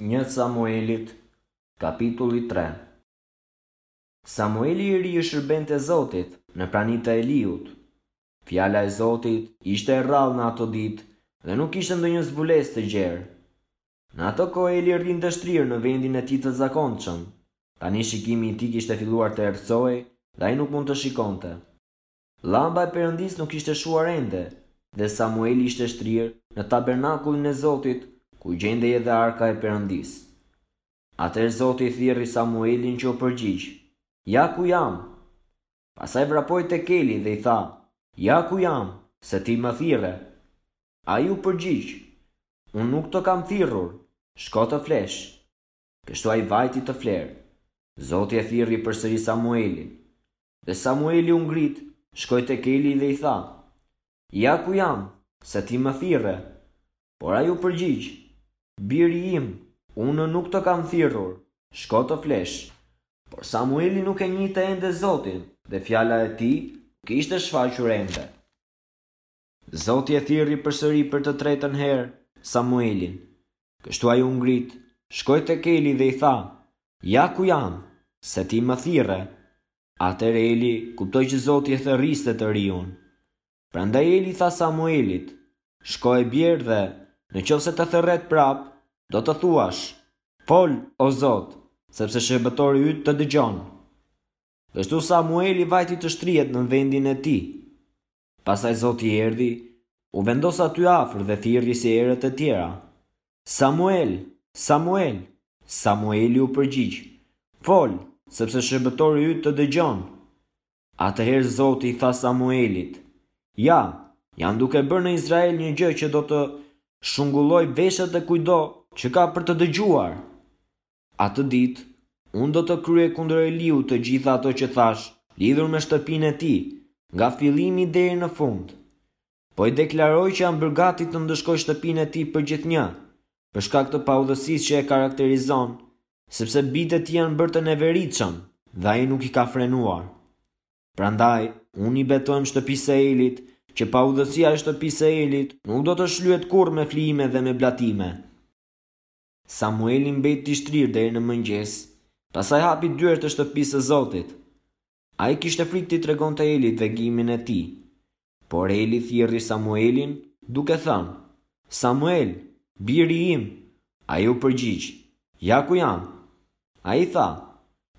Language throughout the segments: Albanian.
Një Samuelit, kapitulli 3 Samueli i ri i shërbente Zotit në prani të Eliut. Fjala e Zotit ishte e rrallë në ato ditë dhe nuk kishte ndonjë zbulesë të gjerë. Në atë kohë Eli rrinte shtrirë në vendin e tij të zakonshëm. Tani shikimi i tij kishte filluar të errësohej dhe ai nuk mund të shikonte. Llamba e Perëndisë nuk ishte shuar ende dhe Samueli ishte shtrirë në tabernakullin e Zotit, ku gjendej edhe arka e Perëndisë. Atëherë Zoti thirri Samuelin që u përgjigj, Ja ku jam! Pastaj vrapoi tek Eli dhe i tha, Ja ku jam, se ti më thirre. Ai u përgjigj, Unë nuk të kam thirrur, shko të flesh. Kështu ai vajti të flerë. Zoti e thirri përsëri Samuelin. Dhe Samueli u ngrit, shkoi tek Eli dhe i tha, Ja ku jam, se ti më thirre. Por ai u përgjigj, Biri im, unë nuk të kam thirrur, shko të flesh. Por Samueli nuk e njihte ende Zotin dhe fjala e tij nuk i ishte shfaqur ende. Zoti e thirri përsëri për të tretën herë Samuelin. Kështu ai u ngrit, shkoi tek Eli dhe i tha, Ja ku jam, se ti më thirre. Atëherë Eli kuptoi që Zoti e thërriste të riun. Prandaj Eli i tha Samuelit, Shko e bjer dhe, në qoftë se të thërret prapë, do të thuash, Fol, o Zot, sepse shërbëtori yt të dëgjon. Kështu Samueli vajti të shtrihet në vendin e tij. Pastaj Zoti erdhi, u vendos aty afër dhe thirri si herët e tjera, Samuel, Samuel! Samueli u përgjigj, Fol, sepse shërbëtori yt të dëgjon. Atëherë Zoti i tha Samuelit, Ja, jam duke bërë në Izrael një gjë që do të shungullojë veshët e kujtdo që ka për të dëgjuar. Atë ditë, unë do të kryej kundër Eliut të gjitha ato që thashë lidhur me shtëpinë e tij, nga fillimi deri në fund. Po e deklaroj që jam bërë gati të ndëshkoj shtëpinë e tij përgjithnjë, për shkak të paudhësisë që e karakterizon, sepse bijtë e tij janë bërë të neveritshëm dhe ai nuk i ka frenuar. Prandaj, unë i betohem shtëpisë së Elit, që paudhësia e shtëpisë së Elit nuk do të shlyhet kurrë me flijime dhe me blatime. Samueli mbeti i shtrirë deri në mëngjes, pastaj hapi dyert e shtëpisë së Zotit. Ai kishte frikë t'i tregonte Elit vegimin e tij. Por Eli thirri Samuelin, duke thënë, Samuel, biri im! Ai u përgjigj, Ja ku jam. Ai tha,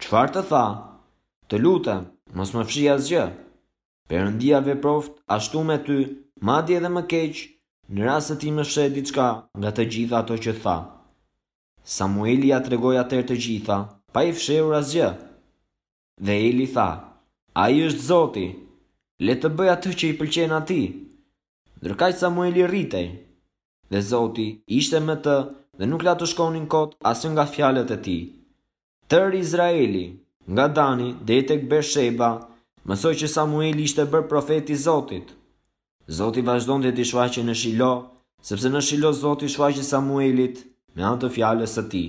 Çfarë të tha? Të lutem, mos më fshih asgjë. Perëndia veproftë ashtu me ty, madje edhe më keq, në rast se ti më fsheh diçka nga të gjitha ato që tha. Samueli ia tregoi atëherë të gjitha, pa i fshehur asgjë. Dhe Eli tha, Ai është Zoti, le të bëjë atë që i pëlqen atij. Ndërkaq Samueli rritej, dhe Zoti ishte me të dhe nuk la të shkonin kot asnjë nga fjalët e tij. Tërë Izraeli, nga Dani deri tek Bersheba, mësoi që Samueli ishte bërë profet i Zotit. Zoti vazhdonte t'i shfaqej në Shilo, sepse në Shilo Zoti i shfaqej Samuelit me anë të fjalës së tij.